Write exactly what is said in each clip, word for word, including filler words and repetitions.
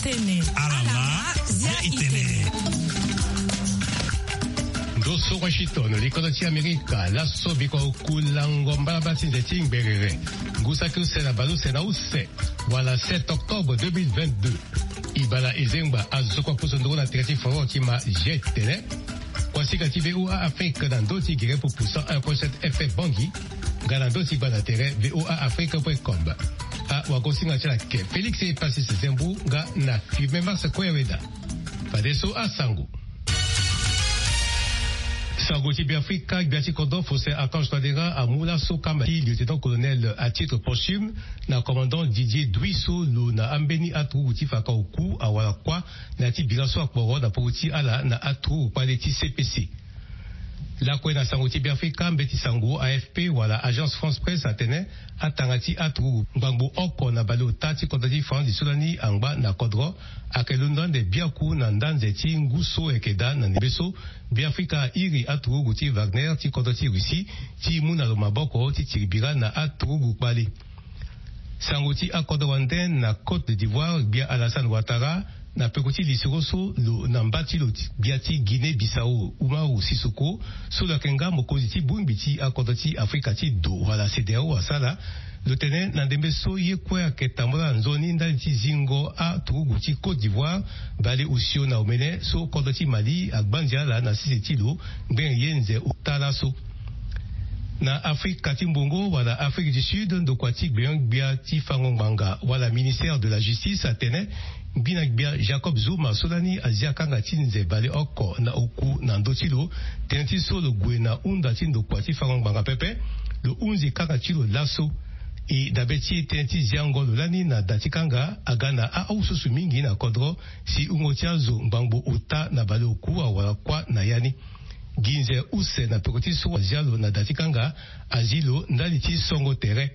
Tene. Alama, zia itene. Ndo so Washington, likolo ti Amerika, laso biko kulango mbalaba ti nze ti ngberere. Ngu saki use na bale use na use, wala sept octobre deux mille vingt-deux. Ibala ezengba azo kua poso ndongo na tere ti foro ti ma je tene. Kuasinga ti V O A Afrique na ndö ti gere pupu cent un point sept F M Bangui, nga na ndö ti gba na tere V O A Afrique point com. Awagosinga ti ala ke Félix Epasis Zembu nga na Firmin Mars Koyaweda. Fadeso asango. Sango ti Beafrika, gbia ti kodro Faustin Archange Touadéra amu laso kamba ti lieutenant-colonel à titre posthume na commandant Didier Dui so lo na ambeni aturugu ti faka oku awara kuâ na ya ti bira so akporo na poko ti ala na aturugu kpale ti C P C. Lakue na sango ti Beafrika, mbeti sango A F P wala Agence France Presse atene atanga ti aturugu ngbangbo oko na baleota ti kodro ti France so lani angba na kodro ayeke londo ande biaku na nda nze ti ngu so ayeke daa na ndembe so Beafrika airi aturugu ti Wagner ti kodro ti Russie ti mu na lo maboko ti tiri bira na aturugu kpale. Sango ti akodro wande na Côte d'Ivoire, gbia Alassane Ouattara na peko ti lisoro so lo na mba ti lo ti gbia ti Guinée Bissau Umaru Sissoco, so lo yeke nga mokonzi ti bongbi ti akodro ti Afrika ti do wala CEDEAO asara. Lo tene na ndembe so ye kue ayeke tambula nzoni ndali ti zingo aturugu ti Côte d'Ivoire, bale osio na omene so kodro ti Mali agbanzi ala na sese ti lo ngbene ye nze ota laso. Na Afrika ti mbongo wala Afrique du Sud, ndokua ti gbenyo-gbia ti fango ngbanga wala ministère de la justice atene ngbi na gbia Jacob Zuma so lani azia kanga ti nze baleoko na oku na ndö ti lo. Tënë ti so lo gue na hunda ti ndokua ti fango ngbanga pepe, lo hunzi kanga ti lo laso. E dabe ti e tënë ti ziango lo lani na da ti kanga aga na ahususu mingi na kodro si wungo ti azo ngbangbo ota na baleoku awara kuâ na ya ni. Gi nze use na peko ti so azia lo na da ti kanga azi lo ndali ti songo tere.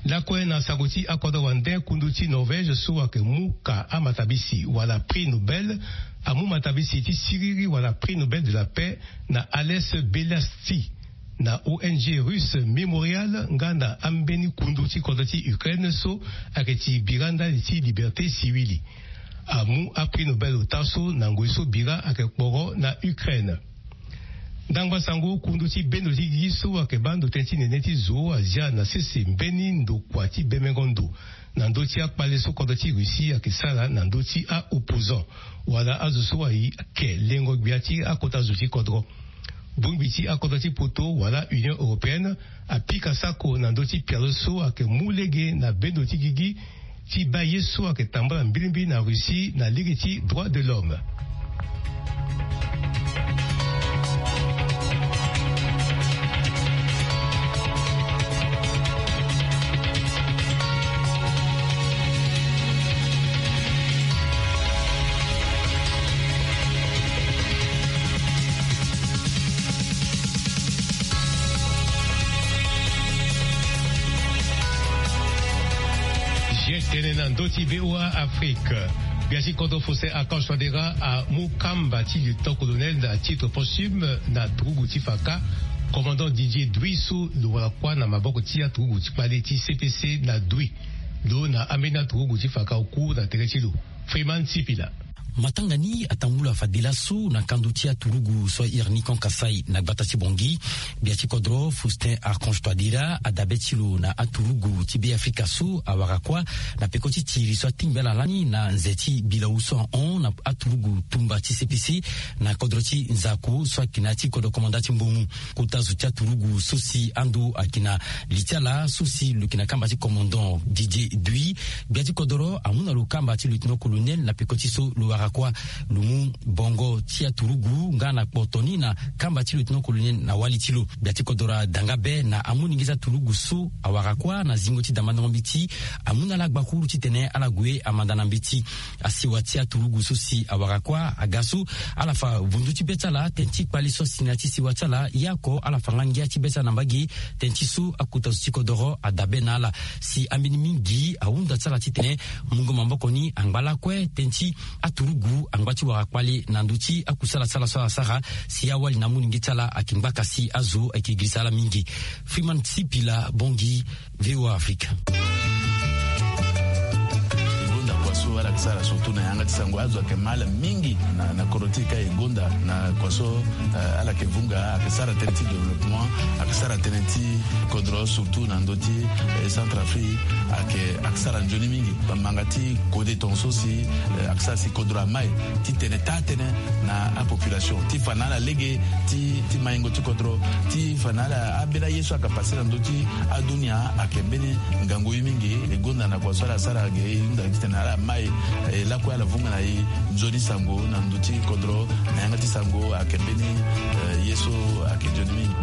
Lakue na sango ti akodro wande, kundu ti Norvège so ayeke mu ka amatabisi wala prix Nobel amu matabisi ti siriri wala prix Nobel de la paix na Ales Bialiatski na O N G russe Memorial nga na ambeni kundu ti kodro ti Ukraine so ayeke ti bira ndali ti liberté siwili. Amu aprix Nobel ota so na ngoi so bira ayeke kporo na Ukraine. Ndangba sango, kundu ti bendo ti gigi so ayeke baa ndo tënë ti nene ti zo azia na sese mbeni ndokua ti bemengo ndo na ndö ti akpale so kodro ti Russie ayeke sara na ndö ti a-opposant wala azo so ayeke lengo gbia ti akota zo ti kodro. Bongbi ti akodro ti poto wala Union européenne apika sako na ndö ti pialo so ayeke mu lege na bendo ti gigi ti baa ye so ayeke tambula mbilimbili na Russie na lege ti droit de l'homme. Tene na ndö ti V O A Afrique. Gbia ti kodro Faustin Archange Touadéra amu kamba ti lieutenant-colonel à titre posthume na turugu ti faka commandant Didier Dui so lo wara kuâ na maboko ti aturugu ti kpale ti C P C na Dui. Lo na ambeni aturugu ti faka oku na tere ti lo. Freeman Sipila. Matanga ni atambula fade laso na kando ti aturugu so airi ni Camp Kasaï na gbata ti Bangui. Gbia ti kodro Faustin Archange Touadéra adabe ti lo na aturugu ti Beafrika so awara kuâ na peko ti tiri so atingbi ala lani na nze ti bilau so ahon na aturugu tumba ti C P C na kodro ti Nzako so ayeke na ya ti kodro komanda ti Mbongo. Kota zo ti aturugu so si ando ayeke na li ti ala so si lo yeke na kamba ti commandant Didier Dui, gbia ti kodro amu na lo kamba ti lieutenant-colonel na peko ti so lo wara kuâ. Lo mu bongo ti aturugu nga na kpoto ni na kamba ti lieutenant-colonel na wali ti lo. Gbia ti kodro ada nga be na amolenge ti aturugu so awara kuâ na zingo ti damandongo mbeti. Amu na ala gbakuru titene ala gue amanda na mbeti. Asiwa ti aturugu so si awara kuâ aga so ala fa vundu ti be ti ala tënë ti kpale so asi na ya ti siwa ti ala. Ye oko ala fa nga ngia ti be ti ala na mbage tënë ti so akota zo ti kodro adabe na ala. Si ambeni mingi ahunda ti ala titene mungo maboko ni angba lakue tënë ti aturugu angba ti wara kpale na ndö ti akusala ti ala so ala sara. Si awali na amolenge ti ala ayeke ngbaka si azo ayeke girisa ala mingi. Freeman Sipila, Bangui, V O A Afrique. Ngonda kua so ala Sara surtout na yanga ti sango azo ayeke mal mingi na, na kodro ti e ka e gonda na kua so, eh, ala yeke vunga, ayeke sara tënë ti développement, ayeke sara tënë ti kodro surtout na ndö ti, eh, Centrafrique, ayeke, ayeke sara nzoni mingi. Bambanga ti kode tongaso si, eh, ayeke sara si kodro amai ti tene taa-tënë na apopulation ti fa na ala lege ti, ti maingo ti kodro, ti fa na ala ambeni aye so ayeke pase na ndö ti adunia ayeke mbeni ngangu ye mingi. E gonda na kua so ala sara ge e hunda titene ala mai, eh, lakue ala vunga na e nzoni sango na ndö ti kodro na yanga ti sango ayeke mbeni, eh, ye so ayeke nzoni mingi.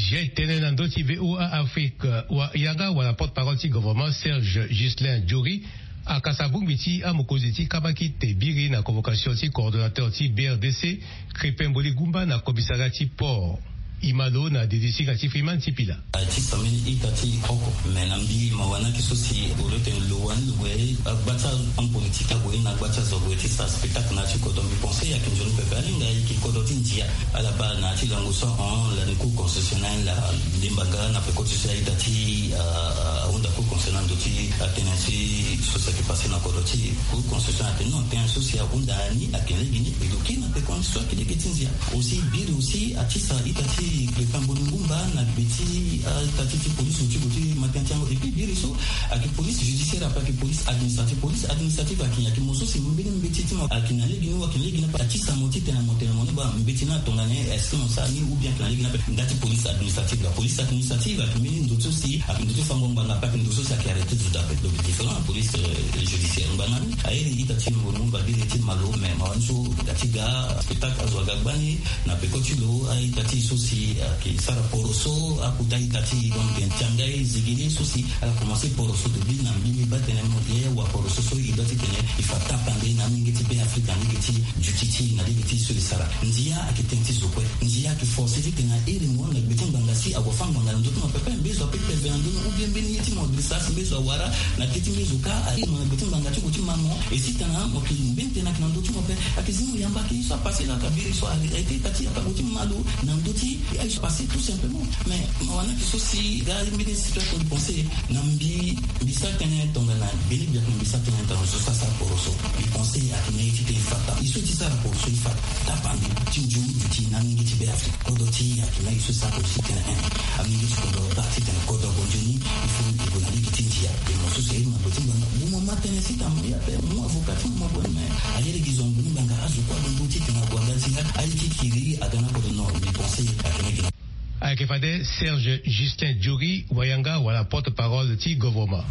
Jai tënë na ndö ti VOA Afrique, wa yanga wala porte-parole ti gouvernement Serge Ghislain Jory akasa bongbi ti amokonzi ti kabakite biri na convocation ti coordonnateur ti B R D C, Crépin Mboli Gumba na commissariat ti port. E ma lo na dede ti hinga ti Freeman ti Pila. Ti sambeni ita ti oko, me na mbi mawa na ki so si au lieu tene lo wani lo gue agba ti ahomme politique ague na agba ti azo ague ti sara spectacle na ya ti kodro, mbi pense ayeke nzoni pepe. Alinga ayeke kodro ti ndia. Ala baa na ya ti lango so ahon lani Cour constitutionnelle, ah, ndemba nga na peko ti so aita ti, ah, ahunda Cour constitutionnelle na ndö ti atene ti so si ayeke passé na kodro ti Cour constitutionnelle atene non, tënë so si ahunda ni ayeke lege ni, e lo kiri na peko ni so ayeke lege ti ndia. Aussi biri aussi atisa ita ti Crépin Mboli Gumba na gbe ti, ah, ita ti, ti police ti gbe ti matin ti yango. Et puis biri so ayeke police judiciaire ape, ayeke police administrative. Police administrative ayeke, ayeke mo so si mbeni mbeti ti mo ayeke na lege ni, ayeke na lege ni ape. Atisa mo titene mo tene mo ni baa mbeti ni atongana ni, est-ce que mo sara ni ou bien ayeke na lege ni ape. Nda ti police administrative, la police administrative ayeke mbeni ndo so si ayeke ndo ti fango ngbanga ape, ayeke ndo so si ayeke arrêté zo daa ape. Donc différent na police, euh, judiciaire. Ngbanga ni airi ita ti Mboli Gumba biri ti ma lo, me mawa ni so ga ti ga spectacle azo aga gbani na peko ti lo, a-ita ti e so si ayeke sara poroso, akota ita ti e, donc tiangai zegele so si ala komanse poroso. Depuis na mbi mbi baa tene mo ye wa poroso so e doit titene e fa tapande na amolenge ti Beafrika na lege ti duti ti e, na lege ti so e sara. Ndia ayeke tënë ti zo kue. Ndia ayeke forcé titene a iri mo na gbe ti ngbanga si ague afâ ngbanga na ndö ti mo pepe. Mbezo apepe ve na ndö ni, ou bien mbeni ye ti mo agressé si mbezo awara na tënë ti mbezo ka a iri mo na gbe ti ngbanga ti gue ti ma mo. Et si tena mo yeke mbeni tënë ayeke na ndö ti mo ape, ayeke zi mo yamba ke ye so apassé laa, ka biri so arrêté ita ti e, ape ague ti ma lo na ndö ti aye so apassé tout simplement. Mais mawa na ki so si ga mbeni situation de pensée na mbi, mbi sara tënë tongana gbeni biakua, mbi sara tënë tongana zo so asara poroso. Mbi pense ayeke na ye ti tene e fa tapa. E so e ti sara poroso e fa tapande ti nzoni duti na amolenge ti Beafrika. Kodro ti e ayeke na ye so e sara poroso titene, eh, amolenge ti kodro baa titene kodro ague nzoni, il faut e gue na lege ti ndia. E mo so si aye mo na gbe ti ngbanga, mo ma tënë si tene mo ye ape, mo avocat ti mo, mo gue ni, mais aye lege zo na gbe ti ngbanga, azo kue ague nzoni titene ague aga ti aye ti kiri aga na kodro. Non, mbi pense ayeke na ye. Ayeke fade Serge Justin Jory, wayanga wala porte-parole ti gouvernement.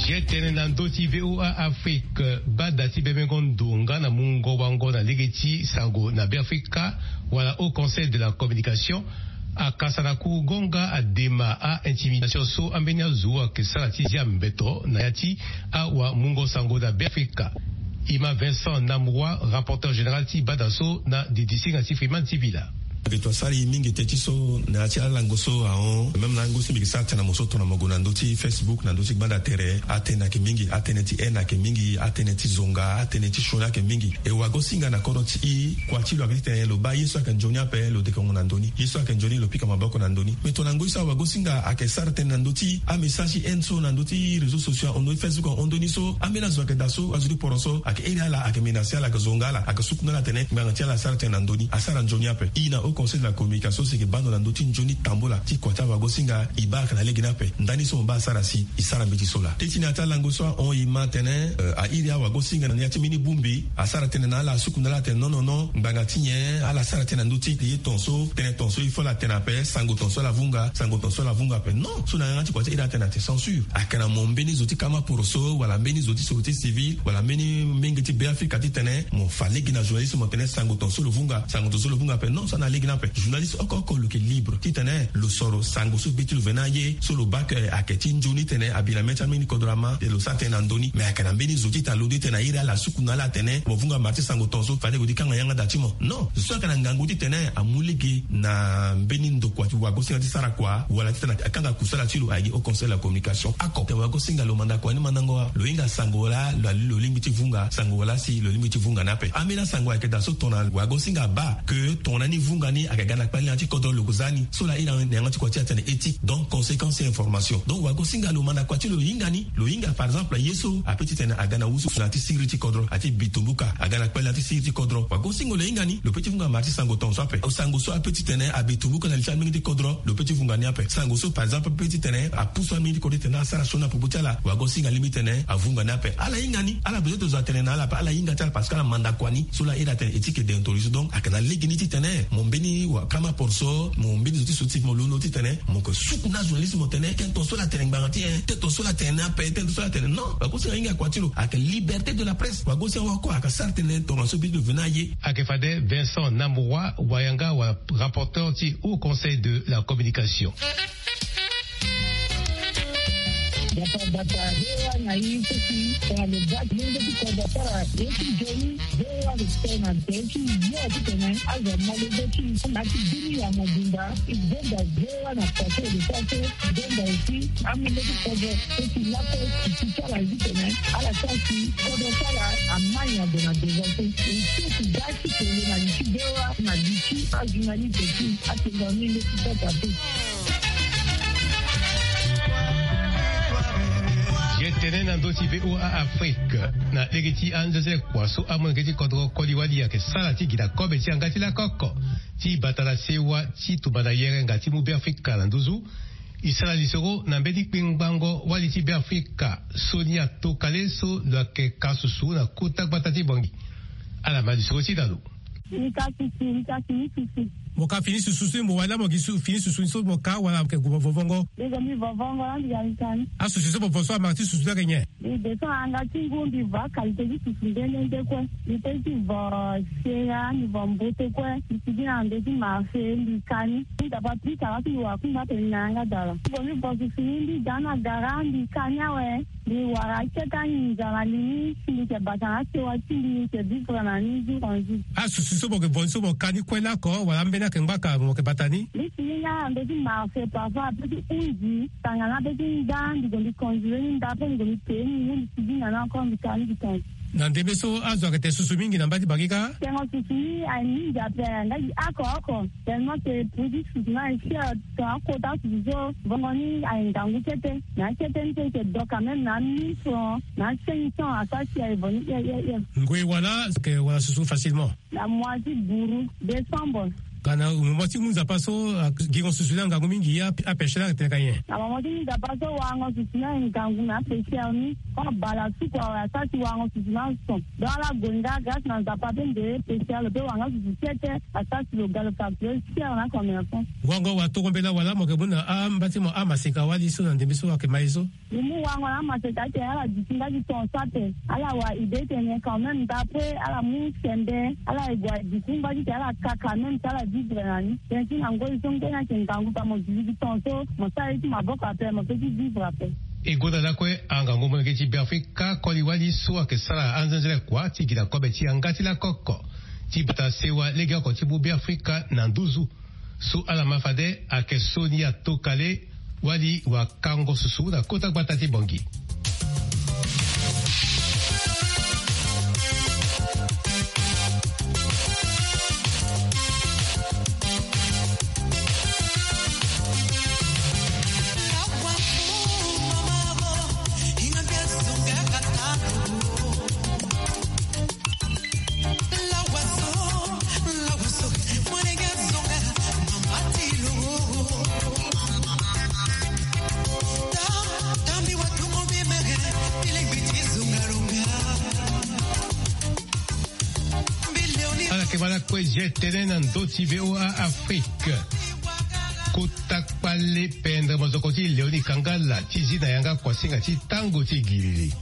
Ye tene na ndö ti VOA Afrique, bada ti bebengo ndo nga na mungo wango na lege ti sango na Beafrika wala Haut Conseil de la Communication akasa na kurugo nga adema a-intimidation so ambeni azo ayeke sara ti zia mbeto na ya ti awamungo sango na Beafrika. E ma Vincent Namroy, rapporteur général ti bada so na didi singa ti Freeman ti Bila. Mbeto asara e mingi teti so na ya ti alango so ahon. Même na lango so mbi yeke sara tënë na mo so tongana mo gue na ndö ti Facebook, na ndö ti gbanda tere, atënë ayeke mingi, atënë ti haine ayeke mingi, atënë ti zonga, atënë ti sioni ayeke mingi. E wagosinga na kodro ti e, kua ti lo ayeke titene lo baa ye so ayeke nzoni ape lo dekengo na ndö ni, ye so ayeke nzoni lo pika maboko na ndö ni. Me tongana ngoi so awagosinga ayeke sara tënë na ndö ti amessage ti haine so na ndö ti réseaux sociaux ahon, ndö ti Facebook ahon, ndö ni so ambeni azo ayeke daa so azo ti poro so ayeke iri ala, ayeke menacé ala, ayeke zonga ala, ayeke sukuna ala atene ngbanga ti ala asara tënë na ndö ni, asara nzoni ape. E na Haut Conseil de la Communication so si e yeke baa ndo na ndö ti nzoni tambula ti kua ti awagosinga, e baa ayeke na lege ni ape. Ndani so mo baa asara si e sara mbeti so laa. Teti na ya ti alango so ahon, e ma atene, euh, a iri awagosinga na ya ti mbeni bongbi, asara tënë na ala, asukuna ala atene non, non, non, ngbanga ti nyen ala sara tënë na ndö ti ye tongaso, tënë tongaso il faut ala tene ape, sango tongaso ala vunga, sango tongaso ala vunga ape. Non, so na yanga ti kua ti e iri atene atene censure. Ayeke na mo mbeni zo ti kama poroso wala mbeni zo ti sécurité civile wala mbeni menge ti Beafrika titene mo fa lege na journaliste mo tene sango tongaso lo vunga, sango tongaso lo vunga ape. Non, so na lege Ni ape journaliste oko oko lo yeke libre titene lo soro sango so be ti lo veni aye so lo baa ke ayeke ti nzoni titene abi na mê ti ambeni kodro ama e lo sara tënë na ndö ni mais ayeke na mbeni zo titene alondo titene airi ala asuku na ala atene mo vunga marti sango tongaso fade gue ti kanga yanga daa ti mo. Non, zo so ayeke na ngangu titene amu lege na mbeni ndokua ti wagosinga ti sara kua wala titene akanga kusala ti lo ayeke au conseil de la communication ako tene wagosinga lo manda kua ni mandango wa lo hinga sango wala lo lingbi ti vunga sango wala si lo lingbi ti vunga ni ape. Ambeni asango ayeke daa so tongana wagosinga abaa ke tongana ni vunga ni ayeke ga na kpale na ya ti kodro lo za ni so laa iri na yanga ti kua ti atene éthique donc conséquence ti information donc wagosinga lo manda kua ti lo lo hinga ni lo hinga par exemple ye so ape titene aga na wusu na ya ti siriri ti kodro ati bitumbuka aga na kpale na ya ti siriri ti kodro wagosinga lo hinga ni lo pe ti vunga mara ti sango tongaso ape sango so ape titene abitumbuka na li ti amenge ti kodro lo pe ti vunga ni ape sango so par exemple ape titene apusu amenge ti kodro titene asara sioni na popo ti ala wagosinga alingbi titene avunga ni ape ala hinga ni ala besoin ti zo atene na ala ape ala hinga ti ala parce que ala manda kua ni so laa iri atene éthique et déontologie donc ayeke na lege ni titene mo mbeni wakama porso mo mbeni zo ti so ti mo londo titene mo yeke suku na ajournaliste mo tene tene tongaso ala tene ngbanga ti e tene tongaso ala tene ni ape tene tongaso ala tene non wagosinga ahinga kua ti lo ayeke liberté de la presse wagosinga oko ayeke sara tënë tongaso be ti lo veni aye. Ayeke fade Vincent Namoura wayanga wala rapporteur ti haut conseil de la communication. Bata bata hewa na ye so si tongana lo baa ti lenge ti kodro asara ye ti nzoni hewa lo tene na be ti yo titene azo amolenge ti na ti bini ya mobimba e zonza hewa na façon e lo sara so e zonza aussi amolenge ti kodro so si laso e ti ti ala ye titene ala sara si kodro ti ala amai na gue na devant so e so si ga ti kele na li ti hewa na li ti ajournaliste ti atenga ni leti sasa te. Ye tene na ndö ti voa afrique na lege ti anzeze kua so amolenge ti kodro koli wali ayeke sara ti gi na kobe ti yanga ti lakoko ti bata na sewa ti tumba na yerenga ti mu beafrika na nduzu. E sara lisoro na mbeni kpengbango wali ti beafrika soni atokale so lo yeke ka susu na kota gbata ti bongi. Ala ma lisoro ti na lo. Ni ka susu ni ka fini susu. Mo ka fini susu so mo wali laa mo gi fini susu so mo ka wala mo yeke gue mo vovongo? Ni gue mbi vovongo laa mbi ga mbi ka ni. Asusu so mo vo so amara ti susu ni ayeke nyen? Mbi descend na yanga ti ngu mbi vo akalité ti susu nde nde nde kue. Mbi pe ti vo sera mbi vo mbote kue mbi sigi na ndo ti marché mbi ka ni. Mbi dapa pika laa ti mbi wara kungba atene mbi na yanga dala. Mbi gue mbi vo susu ni mbi da ni na gara mbi ka ni awe. Mbi wara akete anginza na li ni si mbi yeke bata na asewa ti mbi mbi yeke vivre na ni jour en jour. Asusu so mo yeke vo ni so mo ka ni kue lako wala ambeni ayeke ngbaka mo yeke bata ni? Mbi si ni nga na ndö ti marché parfois ape ti hunzi tangana ape ti nda mbi gue mbi conduire ni nda ape mbi gue mbi pee ni ngu mbi si ni na ni encore mbi ka ni mbi tonga. Na ndembe so azo ayeke tene susu mingi na mba ti bangi kâ? Tengo susu ni aye mingi ape nga gi oko oko. Tellement que produit susu ni aye cher. Tongana akota susu so vongo ni aye ngangu kete. Na akete ni so e yeke do quand même na mille francs na cinq cents asara si aye vo ni hie hie hie. Ngoi wala ke wala susu facilement? Na mois ti buru décembre. Ka na momo ti ngu nzapa so gingo susu ni angangu mingi apêche ni ayeke tene ka nyen? Na momo ti ngu nzapa so warango susu ni aye ngangu na apêcheur ni. Koma bala suku awe asara si warango susu ni ason. Donc ala gue nga grâce na nzapa pe nde pêcheur lo pe wara nga susu kete. Asara si lo ga lo facture cher na commerçant. Wango wa toro mbela wala mo yeke mu na amba ti mo amaseka wali so na ndembe so ayeke ma ye so? Mbi mu wango na amaseka atene ala duti nga ti tongaso ape. Ala wara idée tene quand même d'après ala mu sembe ala ye gue aduti nga ti tene ala ka quand même ti ala vivre na ni. Tënë ti na ngoi so ngbeni ayeke ngangu pa mo duti ti tongaso mo sara ye ti maboko ape mo pe ti vivre ape. E gonda lakue angangu molenge ti beafrika koli wali so ayeke sara anzenzele kua ti gi na kobe ti yanga ti lakoko ti bata sewa legeoko ti mu beafrika na nduzu. So ala ma fade ayeke so ni atokale wali wakango susu na kota gbata ti bongi. Ala yeke ma lakue ye tënë na ndö ti voa afrique. Kota kpale pendere mozoko ti leoni kangala ti zi na yanga kuasinga ti tango ti giriri.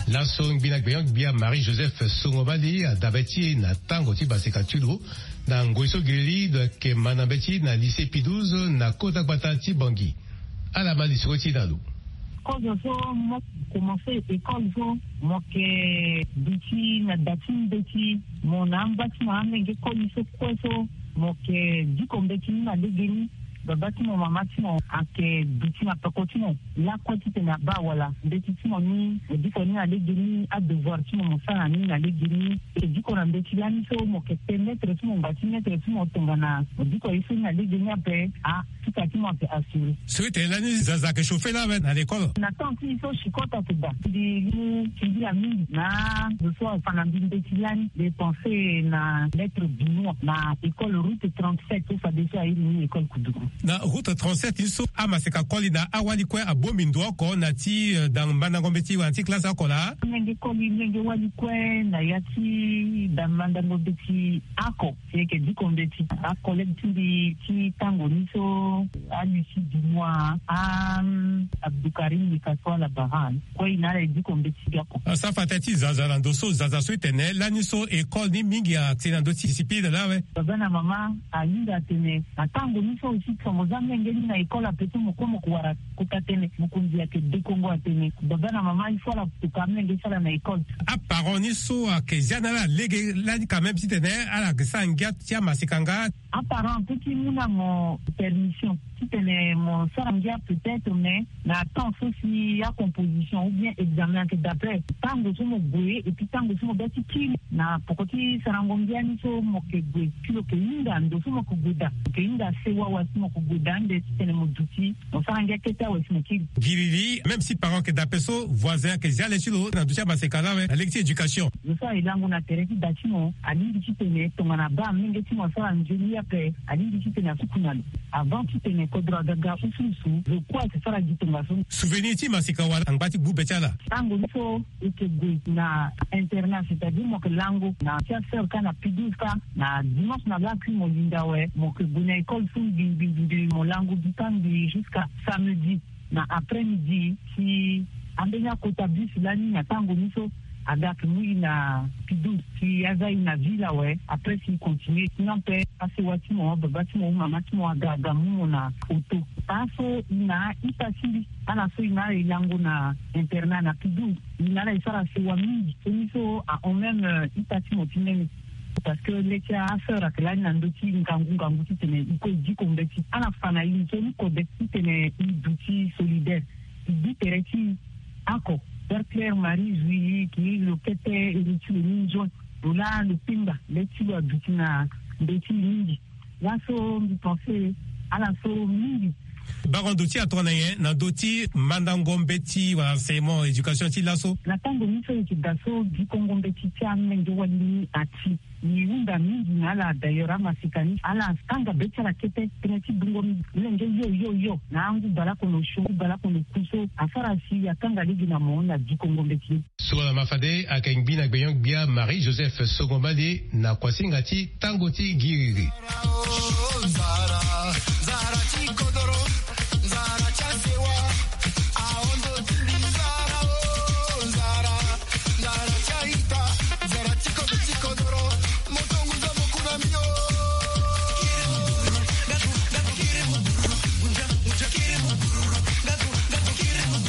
Laso ngbi na gbenyo-gbia marie joseph songomali adabe ti e na tango ti baseka ti lo. Na ngoi so giriri lo yeke ma na mbeti na lycée Pie douze na kota gbata ti Bangui. Ala ma lisoro ti na lo. Kozo so mo komanse école so, mo yeke duti na da ti mbeti, mo na amba ti mo amenge koli so kue so, mo yeke diko mbeti ni na legeni. Baba ti mo, mama ti mo ayeke duti na peko ti mo lakue titene abaa wala mbeti ti mo ni, mo diko ni na legeni, adevoir ti mo mo sara ni na legeni. E diko na mbeti lani so mo yeke pe maître ti mo, ngba ti maître ti mo tongana mo diko ye so ni na legeni ape, a, ti ka ti mo ayeke assuré. So ete lani zaza ayeke chauffer lawe na l'école? Na temps ti e so chicot ayeke daa. Mbi mu singila mingi na zo so afa na mbi mbeti lani. Mbi pense na maître Benoît na école route trente-sept so fadeso airi ni école Koudougou. Na route trente-sept ni so amaseka koli na awali kue abongbi ndo oko na ti, eh, da mandango mbeti wala na ti classe oko laa? Amenge koli, menge wali kue na ya ti da mandango mbeti oko. Si e yeke diko mbeti, acollègue ti mbi ti tango ni so, a Lucie Dumois, a, hum, Abdoukarim Likasoa Labaran, kue e na ala e diko mbeti gi oko. Asara fade ti zaza na ndo so, zaza so e tene lani so école ni mingi ayeke na ndö ti discipline lawe. Baba na mama ahinga atene na tango ni so aussi, tongana mo za menge ni na école ape so mo kue mo ko wara kota tënë, mokonzi ayeke dekongo atene baba na mama il faut ala toka amenge ti ala na école. Aparent ni so ayeke zia na ala lege lani quand même titene ala yeke sara ngia ti amaseka nga. Aparent apeut ti mu na mo permission titene mo sara ngia peut-être, mais na temps so si acomposition ou bien examen ayeke daa ape, tango so mo gue et puis tango so mo bê ti kiri na poko ti sarango ngia ni so mo yeke gue, si lo yeke hinga ndo so mo yeke gue daa, mo yeke hinga sewa wala si mo yeke gue daa ande titene mo duti, mo sara ngia kete awe si mo kiri. Giriri, même si parent ayeke daa ape so, voisin ayeke zia le ti lo na ndö ti amaseka lawe na lege ti éducation. Lo so aye lango na tere ti da ti mo alingbi titene tongana abaa amenge ti mo asara nzoni ape, alingbi titene asuku na lo avant titene kodro aga ga usuusu, lo kue ayeke sara gi tongaso. Souvenir ti maseka wala angba ti gbu be ti ala? Tango ni so e yeke gue na internat, c'est-à-dire mo yeke lango na ti asœur kâ na Pie douze kâ, na dimanche na lakui mo linda awe, mo yeke gue na école so ngbi ngbi ngbi, mo lango gi kâ ngbi jusqu'à samedi na après-midi. Si ambeni akota bus lani na tango ni so aga ake mu e na Pie douze, si aza e na ville awe, après si e continuer. Sinon ape asewa ti mo, baba ti mo ou mama ti mo aga aga mu mo na auto. Paa so e na aita ti mbi, ala so e na ala e lango na internat na Pie douze, e na ala e sara sewa mingi. So ni so ahon même, euh, ita ti mo ti nene. Parce que le ti asœur ayeke lani na ndö ti ngangu ngangu titene e kue e diko mbeti. Ala fa na e nzoni kode titene e duti solidaire. E gbu tere ti e oko. Sœur Claire Marie Zouilly, ki lo kete iri ti lo ni nzoni. Lo laa lo penga le ti lo aduti na mbeti mingi. Laso mbi pense ala so mingi. Bango ndo ti atongana nyen na ndö ti mandango mbeti wala enseignement, éducation ti laso? Na tango ni so e yeke daa so dikongo mbeti ti amenge wali ni ati. E hunda mingi na ala, d'ailleurs amaseka ni ala tanga be ti ala kete tënë ti bungo mlenge yo yo yo na angu baleoko na osio, angu baleoko na oku so asara si atanga lege na mo na dikongo mbeti ni. Soro na ma fade ayeke ngbi na gbenyo-gbia Marie Joseph Songo Mbalie na kuasinga ti tango ti giriri.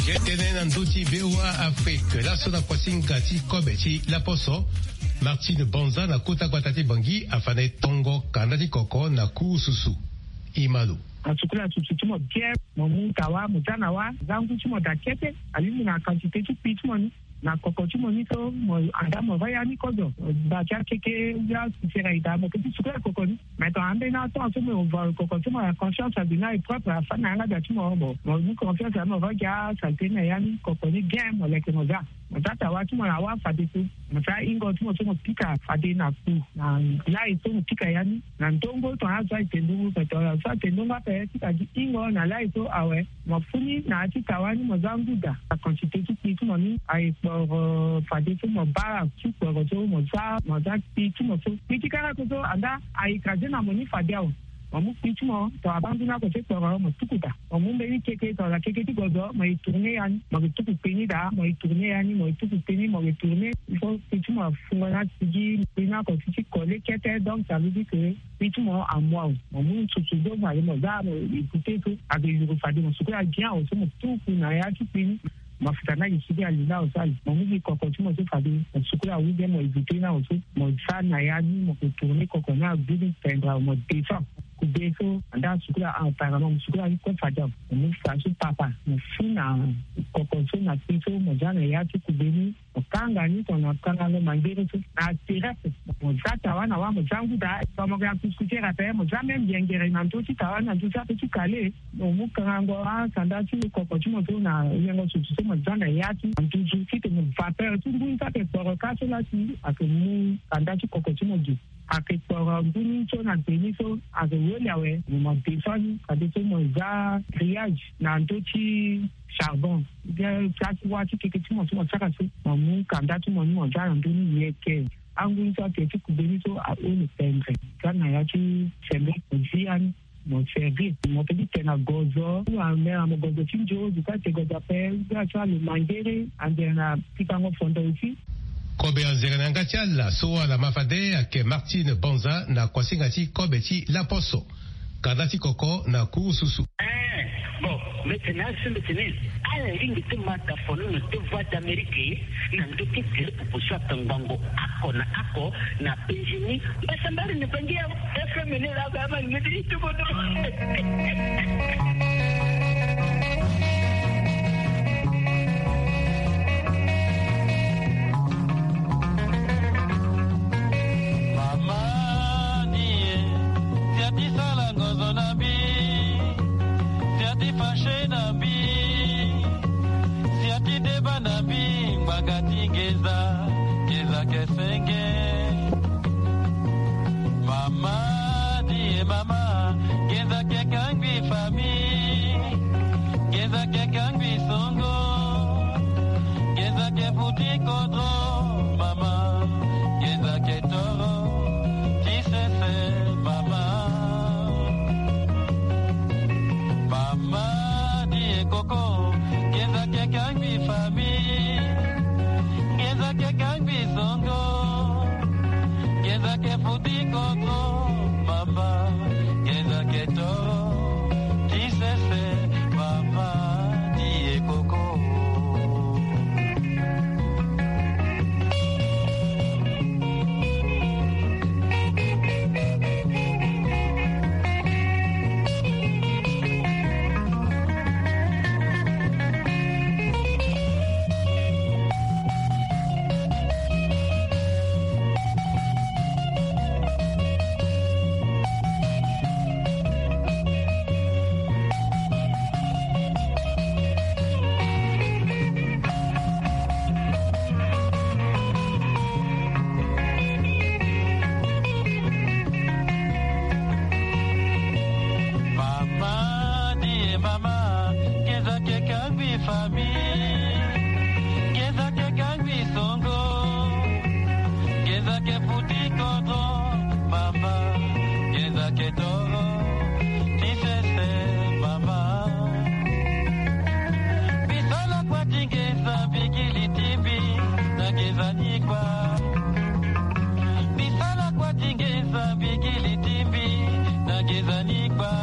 Ye tene na ndö ti V O A Afrique, laso na kuasinga ti kobe ti laposo, Martine Banza na kota gbata ti Bangui afa na e tongo kanda ti koko na ku susu. E ma lo. Asukula susu ti mo bien, mo mu tawa, mo za na wa, za ngu ti mo daa kete, alingbi na quantité ti kpi ti mo ni. Na koko ti mo ni so mo anda mo va ya ni kozo. Ba ti akeke ya sisera ita mo ke ti sukula koko ni. Mais ton ambeni ato so mo va koko ti mo na conscience abi na e propre afa na yanga da ti mo bo. Mo ni confiance mo va gia saleté na ya ni koko ni bien mo leke mo za. Mo za tawa ti mo na wa fade so. Mo za ingo ti mo so mo pika fade na ku. Na lai so mo pika ya ni. Na ndongo ton azo aye te ndongo pe ton azo aye te ndongo ape ti ka gi ingo na lai so awe. Mo funi na ya ti tawa ni mo za ngu daa. Aquantité ti kpi ti mo ni aye kporo fade so mo bara ti kporo so mo za mo za kpi ti mo so. Kpi ti kara so so anda aye écrasé na mo ni fade awe. Mo mu kpi ti mo tongana bangu ni oko ti kporo, mo tuku daa. Mo mu mbeni keke tongana keke ti gozo, mo e tourner ya ni, mo ke tuku kpe ni daa, mo e tourner ya ni, mo e tuku kpe ni, mo ke tourner. Il faut kpi ti mo afungo na sigi kpe ni oko ti ti coller kete. Donc ça veut dire que kpi ti mo amu awe. Mo mu nsusu so fade mo za mo e goûter so, ake yuru fade mo sukola bien awe so mo tuku na ya ti kpe ni. Mafuta ni ake sigi ali na awe so ali. Mo mu gi koko ti mo so fade mo sukola ou bien mo éviter na awe so. Mo za na ya ni, mo ke tourner koko ni agu ni, pendre awe, mo descend. Kube so anda sukola, apparemment mo sukola ni kue fade awe. Mo mu fa so papa, mo fu na koko so na kpe so, mo za na ya ti kube ni. Mo kanga ni tongana kangango mangere so na terrasse. Mo za tawa na wa, mo za ngu daa. Fa mo ke na kuskutere ape, mo za même yengere na ndö ti tawa, na ndö ti ape ti kale. Mo mu kangango asanda ti koko ti mo so na yengo susu so mo za na ya ti nduzu titene vapeur ti ngu ni so ake kporo ka so la si ake mu kanda ti koko ti mo gi. Ake kporo ngu ni so na gbe ni so, ake weli awe, mo ma descend ni. Fadeso mo za grillage na ndö ti charbon. Bien place wa ti keke ti mo so mo sara so, mo mu kanda ti mo ni mo za na ndö ni yeke. Angu ni so ake ti kube ni so awe, le pendre. Za na ya ti sembe mo zi ya ni. Mo servir mo pe ti tene na gozo, mo amela mo gozo ti nzo, zo ka te gozo ape, zo ati alo mangere, ande na pikango fondo aussi. Kobe anzere na yanga ti ala so ala ma fade ayeke Martine Banza na kuasinga ti kobe ti laposo. Kanda ti koko na kurususu. Eh, bon, mbeti na asu mbeti ni. Ala lingbi ti ma tafono na ti Voix d'Amérique na ndö ti tele popo so aka ngbongo oko na oko na penzi ni. Mbasambari ni bangi ya F M ni la ba ma ni ti tubo do. Mama ni e, si ati sala ngozo na mbi, si ati fâché na mbi, si ati deba na mbi, ngbanga ti ngenza, ngenza ke senge. Mama ni e mama, ngenza ke kangbi famille, ngenza ke kangbi songo, ngenza ke futi kodro, mama, ngenza ke toro ti sese, mama. Mama ni e koko, ngenza ke kangbi famille, ngenza ke kangbi songo, ngenza ke futi kodro, mama, ngenza ke toro ti sese, mama ni e koko. Mama ni e mama, ngenza ke kangbi famille, ngenza ke kangbi songo, ngenza ke futi kodro, mama, ngenza ke toro ti sese, mama. Bisala kua ti ngenza bigili ti mbi na ngenza ni kua. Bisala kua ti ngenza bigili ti mbi na ngenza ni kua.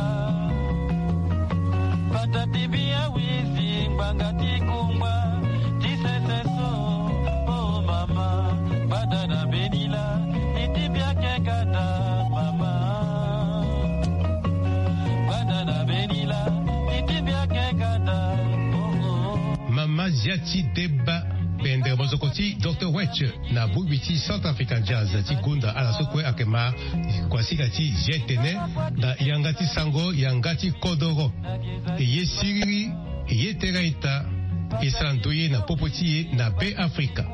Pata ti mbi awizi ngbanga ti kungba ti sese so. Oh mama, gbada na mbeni lâ, iti mbi ake kata, mama. Gbada na mbeni lâ, iti mbi ake kata. Oh, oh. Mama Ziati Deba, pendre mozoko ti Docteur Wetch na bongbi ti Centrafrican Jazz ti gonda ala so kue ayeke ma kuasinga ti G T N na yanga ti sango, yanga ti kodoro. E ye siriri, e ye tere ita, e sara ndoye na popo ti e na Be Afrika.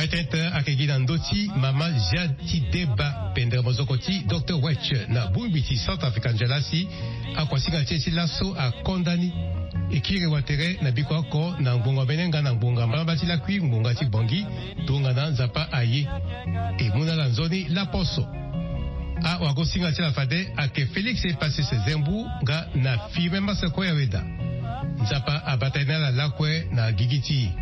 Artete ayeke gi na ndö ti mama Jati Deba pendere mozoko ti Docteur Wetch na bongbi ti Centrafrica Njalasi. Akuasinga ti e ti laso akonda ni. E kiri wa tere na biko oko na ngbonga mbene nga na ngbonga mbalamba ti lakui ngbonga ti Bangui. Tongana Nzapa aye, e mu na ala nzoni laposo. Awagosinga ti ala fade ayeke Félix Epasis Zembu nga na Firmin Maseko Yaweda. Nzapa abata ni ala lakue na gigi ti e.